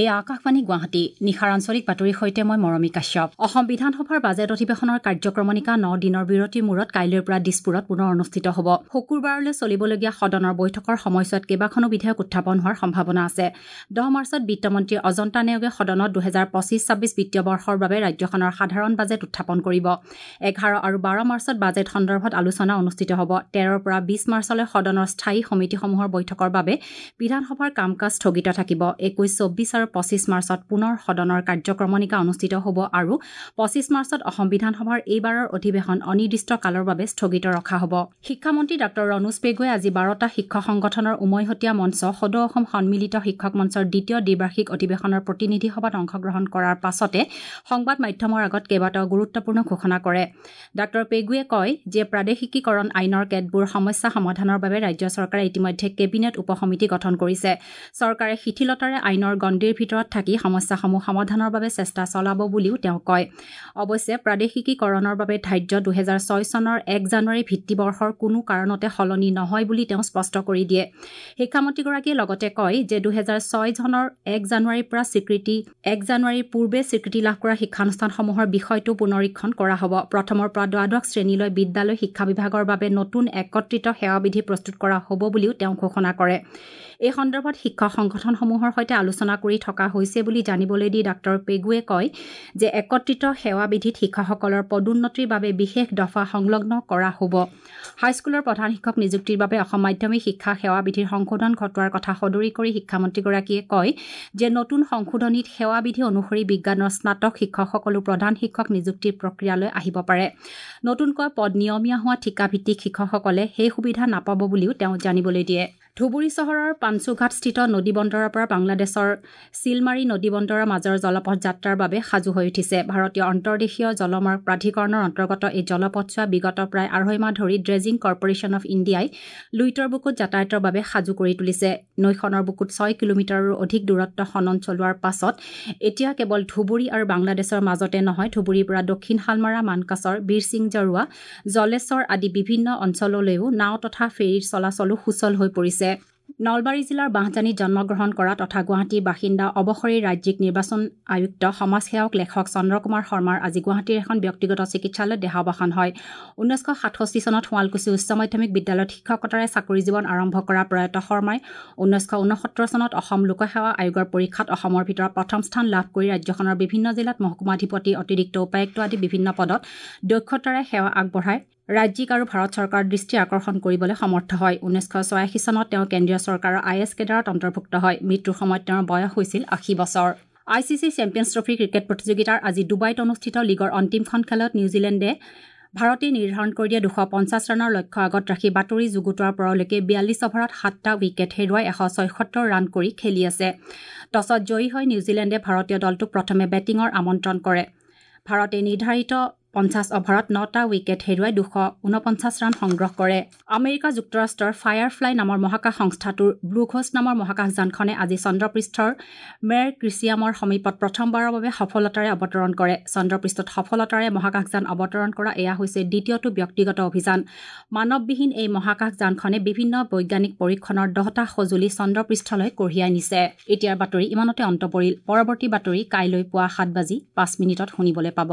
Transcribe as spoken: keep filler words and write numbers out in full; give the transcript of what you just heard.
এয়া আকাশবাণী গুৱাহাটী। নিশাৰ আঞ্চলিক বাতৰিৰ সৈতে মই মৰমী কাশ্যপ। অসম বিধানসভাৰ বাজেট অধিৱেশনৰ কাৰ্যক্ৰমণিকা ন দিনৰ বিৰতিৰ মূৰত কাইলৈৰ পৰা দিছপুৰত পুনৰ অনুষ্ঠিত হ'ব। শুকুৰবাৰলৈ চলিবলগীয়া সদনৰ বৈঠকৰ সময়ছোৱাত কেইবাখনো বিধেয়ক উত্থাপন হোৱাৰ সম্ভাৱনা আছে। দহ মাৰ্চত বিত্তমন্ত্ৰী অজন্তা নেওগে সদনত দুহেজাৰ পঁচিছ ছাব্বিছ বিত্তীয় বৰ্ষৰ বাবে ৰাজ্যখনৰ সাধাৰণ বাজেট উত্থাপন কৰিব। এঘাৰ আৰু বাৰ মাৰ্চত বাজেট সন্দৰ্ভত আলোচনা অনুষ্ঠিত হ'ব। তেৰৰ পৰা বিছ মাৰ্চলৈ সদনৰ স্থায়ী সমিতিসমূহৰ বৈঠকৰ বাবে বিধানসভাৰ কাম কাজ স্থগিত থাকিব। একৈছ, চৌব্বিছ আৰু পঁচিছ মাৰ্চত পুনৰ সদনৰ কাৰ্যক্ৰমণিকা অনুষ্ঠিত হ'ব আৰু পঁচিছ মাৰ্চত অসম বিধানসভাৰ এইবাৰৰ অধিৱেশন অনিৰ্দিষ্ট কালৰ বাবে স্থগিত ৰখা হ'ব। শিক্ষামন্ত্ৰী ডাঃ ৰণোজ পেগুৱে আজি বাৰটা শিক্ষক সংগঠনৰ উমৈহতীয়া মঞ্চ সদৌ অসম সন্মিলিত শিক্ষক মঞ্চৰ দ্বিতীয় দ্বিবাৰ্ষিক অধিৱেশনৰ প্ৰতিনিধি সভাত অংশগ্ৰহণ কৰাৰ পাছতে সংবাদ মাধ্যমৰ আগত কেইবাটাও গুৰুত্বপূৰ্ণ ঘোষণা কৰে। ডাঃ পেগুৱে কয় যে প্ৰাদেশিকীকৰণ আইনৰ কেতবোৰ সমস্যা সমাধানৰ বাবে ৰাজ্য চৰকাৰে ইতিমধ্যে কেবিনেট উপসমিতি গঠন কৰিছে। চৰকাৰে শিথিলতাৰে আইনৰ গণ্ডিৰ ভিতৰত থাকি সমস্যাসমূহ সমাধানৰ বাবে চেষ্টা চলাব বুলিও তেওঁ কয়। অৱশ্যে প্ৰাদেশিকীকৰণৰ বাবে ধাৰ্য দুহেজাৰ ছয় চনৰ এক জানুৱাৰী ভিত্তিবৰ্ষৰ কোনো কাৰণতে সলনি নহয় বুলি তেওঁ স্পষ্ট কৰি দিয়ে। শিক্ষামন্ত্ৰীগৰাকীয়ে লগতে কয় যে দুহেজাৰ ছয় চনৰ এক জানুৱাৰীৰ পৰা স্বীকৃতি এক জানুৱাৰীৰ পূৰ্বে স্বীকৃতি লাভ কৰা শিক্ষানুষ্ঠানসমূহৰ বিষয়টো পুনৰীক্ষণ কৰা হ'ব। প্ৰথমৰ পৰা দ্বাদশ শ্ৰেণীলৈ বিদ্যালয় শিক্ষা বিভাগৰ বাবে নতুন একত্ৰিত সেৱাবিধি প্ৰস্তুত কৰা হ'ব বুলিও তেওঁ ঘোষণা কৰে। এই সন্দৰ্ভত শিক্ষক সংগঠনসমূহৰ সৈতে আলোচনা কৰি থকা হৈছে বুলি জানিবলৈ দি ডাঃ পেগুৱে কয় যে একত্ৰিত সেৱাবিধিত শিক্ষকসকলৰ পদোন্নতিৰ বাবে বিশেষ দফা সংলগ্ন কৰা হ'ব। হাইস্কুলৰ প্ৰধান শিক্ষক নিযুক্তিৰ বাবে অসম মাধ্যমিক শিক্ষা সেৱাবিধিৰ সংশোধন ঘটোৱাৰ কথা সদৰি কৰি শিক্ষামন্ত্ৰীগৰাকীয়ে কয় যে নতুন সংশোধনীত সেৱাবিধি অনুসৰি বিজ্ঞানৰ স্নাতক শিক্ষকসকলো প্ৰধান শিক্ষক নিযুক্তিৰ প্ৰক্ৰিয়ালৈ আহিব পাৰে। নতুনকৈ পদ নিয়মীয়া হোৱা ঠিকাভিত্তিক শিক্ষকসকলে সেই সুবিধা নাপাব বুলিও তেওঁ জানিবলৈ দিয়ে। ধুবুৰী চহৰৰ পাঞ্চুঘাটস্থিত নদী বন্দৰৰ পৰা বাংলাদেশৰ চিলমাৰী নদী বন্দৰৰ মাজৰ জলপথ যাত্ৰাৰ বাবে সাজু হৈ উঠিছে। ভাৰতীয় অন্তৰ্দেশীয় জলমাৰ্গ প্ৰাধিকৰণৰ অন্তৰ্গত এই জলপথছোৱা বিগত প্ৰায় আঢ়ৈ মাহ ধৰি ড্ৰেজিং কৰ্পৰেশ্যন অফ ইণ্ডিয়াই লুইতৰ বুকুত যাতায়াতৰ বাবে সাজু কৰি তুলিছে। নৈখনৰ বুকুত ছয় কিলোমিটাৰৰো অধিক দূৰত্ব খনন চলোৱাৰ পাছত এতিয়া কেৱল ধুবুৰী আৰু বাংলাদেশৰ মাজতে নহয়, ধুবুৰীৰ পৰা দক্ষিণ শালমাৰা, মানকাচৰ, বীৰসিং জৰুৱা, জলেশ্বৰ আদি বিভিন্ন অঞ্চললৈও নাও তথা ফেৰীৰ চলাচলো সুচল হৈ পৰিছে। নলবাৰী জিলাৰ বাঁহজানীত জন্মগ্ৰহণ কৰা তথা গুৱাহাটীৰ বাসিন্দা অৱসৰী ৰাজ্যিক নিৰ্বাচন আয়ুক্ত সমাজসেৱক লেখক চন্দ্ৰকুমাৰ শৰ্মাৰ আজি গুৱাহাটীৰ এখন ব্যক্তিগত চিকিৎসালয়ত দেহাৱসান হয়। ঊনৈছশ সাতষষ্ঠি চনত শুৱালকুছি উচ্চ মাধ্যমিক বিদ্যালয়ত শিক্ষকতাৰে চাকৰি জীৱন আৰম্ভ কৰা প্ৰয়াত শৰ্মাই ঊনৈছশ ঊনসত্তৰ চনত অসম লোকসেৱা আয়োগৰ পৰীক্ষাত অসমৰ ভিতৰত প্ৰথম স্থান লাভ কৰি ৰাজ্যখনৰ বিভিন্ন জিলাত মহকুমাধিপতি, অতিৰিক্ত উপায়ুক্ত আদি বিভিন্ন পদত দক্ষতাৰে সেৱা আগবঢ়াই ৰাজ্যিক আৰু ভাৰত চৰকাৰৰ দৃষ্টি আকৰ্ষণ কৰিবলৈ সমৰ্থ হয়। ঊনৈছশ ছয়াশী চনত তেওঁ কেন্দ্ৰীয় চৰকাৰৰ I S কেডাৰত অন্তৰ্ভুক্ত হয়। মৃত্যুৰ সময়ত তেওঁৰ বয়স হৈছিল আশী বছৰ। I C C champions trophy cricket প্ৰতিযোগিতাৰ আজি ডুবাইত অনুষ্ঠিত লীগৰ অন্তিমখন খেলত নিউজিলেণ্ডে ভাৰতে নিৰ্ধাৰণ কৰি দিয়া দুশ পঞ্চাছ ৰানৰ লক্ষ্য আগত ৰাখি বাতৰি যুগুতোৱাৰ পৰলৈকে বিয়াল্লিছ অভাৰত সাতটা উইকেট হেৰুৱাই এশ ছয়সত্তৰ ৰান কৰি খেলি আছে। টছত জয়ী হৈ নিউজিলেণ্ডে ভাৰতীয় দলটোক প্ৰথমে বেটিঙৰ আমন্ত্ৰণ কৰে। ভাৰতে নিৰ্ধাৰিত পঞ্চাছ অভাৰত নটা উইকেট হেৰুৱাই দুশ ঊনপঞ্চাছ ৰান সংগ্ৰহ কৰে। আমেৰিকা যুক্তৰাষ্ট্ৰৰ ফায়াৰফ্লাই নামৰ মহাকাশ সংস্থাটোৰ ব্লু ঘোষ্ট নামৰ মহাকাশযানখনে আজি চন্দ্ৰপৃষ্ঠৰ মেৰ ক্ৰিছিয়ামৰ সমীপত প্ৰথমবাৰৰ বাবে সফলতাৰে অৱতৰণ কৰে। চন্দ্ৰপৃষ্ঠত সফলতাৰে মহাকাশযান অৱতৰণ কৰা এয়া হৈছে দ্বিতীয়টো ব্যক্তিগত অভিযান। মানৱবিহীন এই মহাকাশযানখনে বিভিন্ন বৈজ্ঞানিক পৰীক্ষণৰ দহটা সঁজুলি চন্দ্ৰপৃষ্ঠলৈ কঢ়িয়াই নিছে। এতিয়াৰ বাতৰি ইমানতে অন্ত পৰিল। পৰৱৰ্তী বাতৰি কাইলৈ পুৱা সাত বাজি পাঁচ মিনিটত শুনিবলৈ পাব।